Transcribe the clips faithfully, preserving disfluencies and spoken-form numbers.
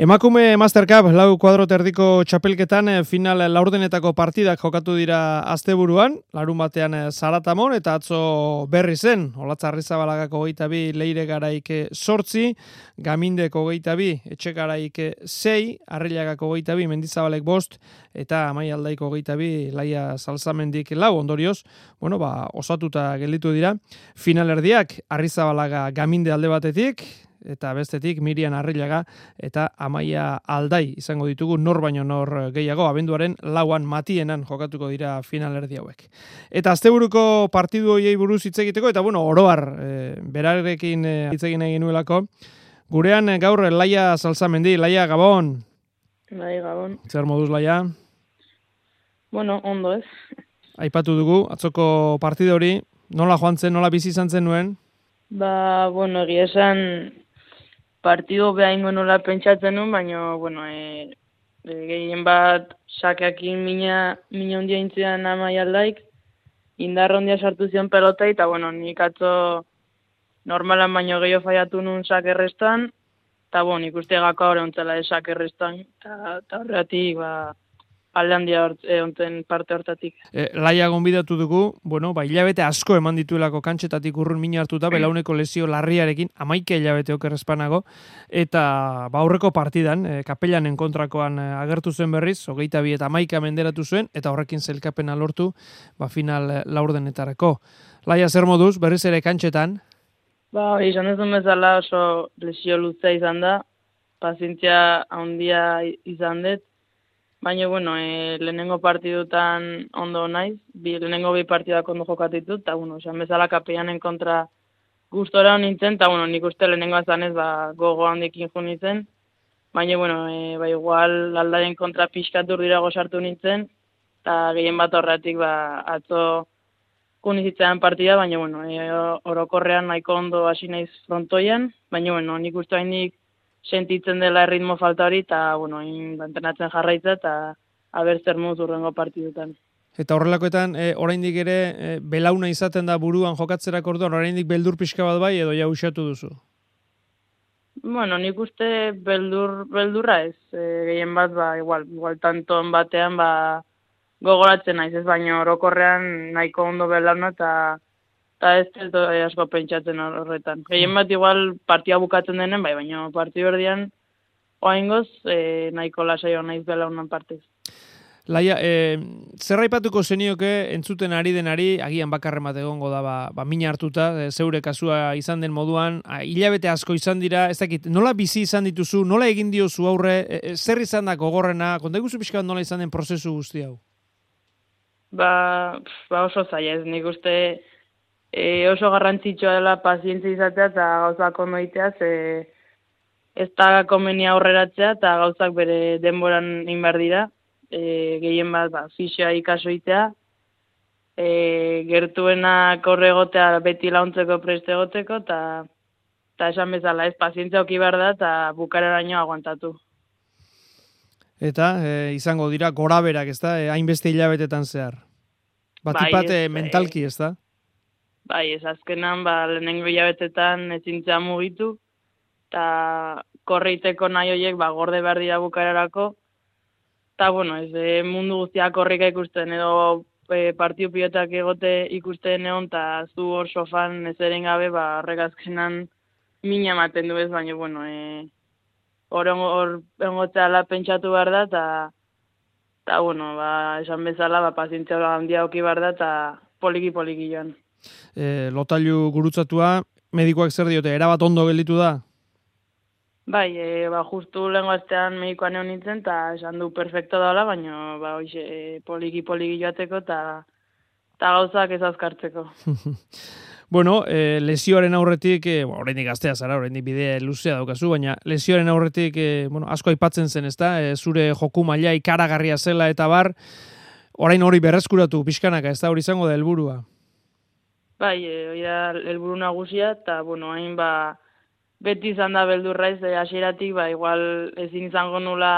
Emakume Master Cup lau kuadro terdiko txapelketan final laurdenetako partidak jokatu dira asteburuan, larun batean Zaratamon eta atzo berri zen, Olatz Arrizabalaga hogeita bi, Leire Garaik zortzi, Gamindek hogeita bi, Etxegaraik sei, Arrillagak hogeita bi, Mendizabalek bost, eta Amaia Aldaik hogeita bi, Laia Salzamendik lau, ondorioz, bueno, ba, osatuta gelditu dira, finalerdiak Arrizabalaga Gaminde alde batetik, eta bestetik Mirian Arrillaga eta Amaia Aldai izango ditugu nor baino nor gehiago, abenduaren lauan Matienan jokatuko dira finalerdi hauek. Eta asteburuko partidu hoiei buruz hitz egiteko, eta bueno, oroar, e, berarekin e, hitz egin egin nuelako, gurean e, gaur Laia Salzamendi. Laia, Gabon. Bai, Gabon. Zer moduz, Laia? Bueno, ondo ez. Aipatu dugu, atzoko partidu hori, nola joan zen, nola bizi izan zen nuen? Ba, bueno, egia esan partidu behaingo nola pentsatzen nuen, baina, bueno, e, e, gehien bat sakeakin mina, mina ondia intzian Amaia Aldaik, indarra ondia sartu zion pelota, eta, bueno, nik atzo normalan baino gehiago faiatu nuen sakerrestan, eta, bueno, nik uste gako hori ontzela de sakerrestan, eta horretik, ba, alde handia onten parte hortatik. E, Laia gonbidatu dugu, bueno, ba, hilabete asko eman dituelako kantxetatik urrun mina hartuta, belauneko lesio larriarekin, amaike hilabete okerrespanago, eta ba, aurreko partidan, e, Kapelanen kontrakoan e, agertu zen berriz, hogeita bi eta amaika menderatu zuen, eta horrekin zelkapena lortu, ba, final e, laurdenetarako. Laia, zer moduz, berriz ere kantxetan? Ba, izan ez duen bezala oso lesio luzea izan da, pazientzia handia izan dut, baina, bueno, e, lehenengo partidutan ondo naiz, bi, lehenengo bi partidak ondo jokatitut, eta, bueno, esan bezala Kapelanen kontra gustora nintzen, eta, bueno, nik uste lehenengo azanez, ba, gogo handikin jo nintzen, baina, bueno, e, ba, igual Aldaren kontra pixkatu urdirago sartu nintzen, eta gehien bat horretik, ba, atzo kunizitzean partida, baina, bueno, e, orokorrean nahiko ondo hasi naiz frontoian, baina, bueno, nik uste hainik sentitzen dela erritmo falta hori, eta, bueno, entrenatzen jarraitza, eta haber zer moduz urrengo partidutan. Eta horrelakoetan, e, oraindik ere, e, belauna izaten da buruan jokatzerak orduan, oraindik beldur pixka bat bai, edo ja usatu duzu? Bueno, nik uste beldur, beldurra ez, e, gehien bat, ba, igual, igual tanton batean, ba, gogoratzen naiz, ez, baina orokorrean nahiko ondo belauna, eta eta ez ez do, asko pentsatzen horretan. Gehien bat igual partia bukatzen denen, bai, baina partiu erdian oaingoz e, nahiko lasaio naiz belaunan partez. Laia, e, zer aipatuko zenioke entzuten ari denari, agian bakarren bat egongo da, ba, ba mina hartuta, e, zeure kasua izan den moduan, a, hilabete asko izan dira, ez dakit, nola bizi izan dituzu, nola egin diozu aurre, e, e, zer izan da gogorrena, konta iguzu pixka bat nola izan den prozesu guzti hau? Ba, ba oso zaila ez, nik uste E, oso garrantzitsua dela pazientzia izatea eta gauzak ondo egitea, ze ez da komenia aurreratzea eta gauzak bere denboran egin behar dira. E, gehien bat, ba, fisioa ikaso egitea, e, gertuenak horre egotea beti launtzeko preste egoteko, eta esan bezala ez pazientzia oki behar da eta bukareraino aguantatu. Eta e, izango dira goraberak, ez da, e, hainbeste hilabetetan zehar. Batipat bai, mentalki, ez da? Bai, ez azkenan, ba, lehenengo hilabetetan ezintzea mugitu, eta korreiteko nahi horiek, ba, gorde behar dira bukararako, eta, bueno, ez e, mundu guztiak korrika ikusten, edo e, partiu pilotak egote ikusten egon, eta zu hor sofan ez eren gabe, ba, horrek azkenan mina ematen du ez, baina, bueno, e, hor engotzea pentsatu behar da, eta, eta, bueno, ba, esan bezala, ba, pazientzia handia oki behar da, eta poliki-poliki joan. E, lotailu gurutzatua, medikoak zer diote, erabat ondo gelditu da? Bai, e, ba, justu lehen gaztean medikoan egon nintzen, eta esan du perfecto daula, baina ba, oixe, e, poliki-poliki joateko, eta gauzak ez azkartzeko. Bueno, e, lesioaren aurretik, e, bueno, oraindik gaztea zara, oraindik bidea luzea daukazu, baina lesioaren aurretik e, bueno, asko aipatzen zen, ezta? E, zure joku maila ikaragarria zela eta bar, orain hori berreskuratu pixkanaka, ez da hori izango da helburua? Bai, hori da helburu nagusia, eta, bueno, hain, ba, beti izan da beldurra ez, hasieratik, ba, igual ezin izango nula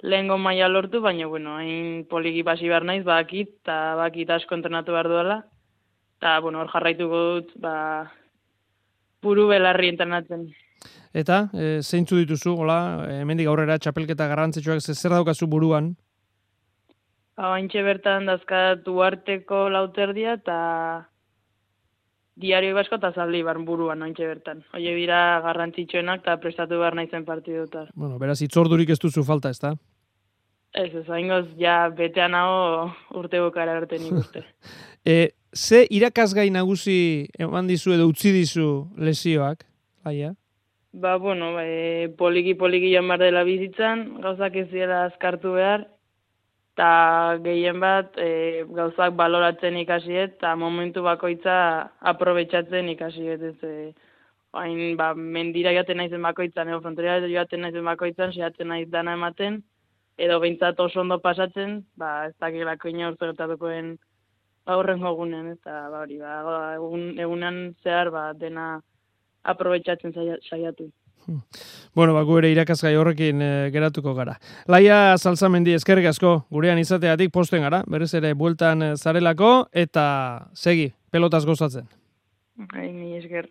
lehengo maila lortu, baina, bueno, hain poliki pasi behar naiz, bakit, eta bakit asko entrenatu behar duela, eta, bueno, hor jarraituko dut, ba, buru belarri entrenatzen. Eta, e, zeintzu dituzu, hola, hemendik aurrera txapelketa garrantzitsuak zer daukazu buruan? Haintxe bertan dazkat Uarteko lauterdia eta Diario Basko eta Zaldibar buruan haintxe bertan. Oie bira garrantzitsuenak eta prestatu behar naizen partidutar. Bueno, beraz, itzordurik ez duzu falta, ez da? Ez, ez, haingoz, ja, betean hau urte bukara arte nik uste. e, ze irakasgai nagusi eman dizu edo utzi dizu lesioak, laia? Ba, bueno, e, poliki-poliki joan behar dela bizitzan, gauzak ez dira azkartu behar, eta gehien bat e, gauzak baloratzen ikasiet, eta momentu bakoitza aprobetxatzen ikasiet, ez, e, hain, ba, mendira joaten naizen bakoitzan, edo fronteria joaten naizen bakoitzan, sehatzen naiz dana ematen, edo behintzat oso ondo pasatzen, ba, ez dakilako ina urte gertatukoen aurrengo egunen, eta ba, hori, ba, egun, egunean zehar ba, dena aprobetxatzen saiatu. Bueno, ba, gu ere irakasgai horrekin e, geratuko gara. Laia Salzamendi, eskerrik asko, gurean izateatik posten gara, berriz ere bueltan zarelako, eta segi, pelotaz gozatzen. Hai, mi esker.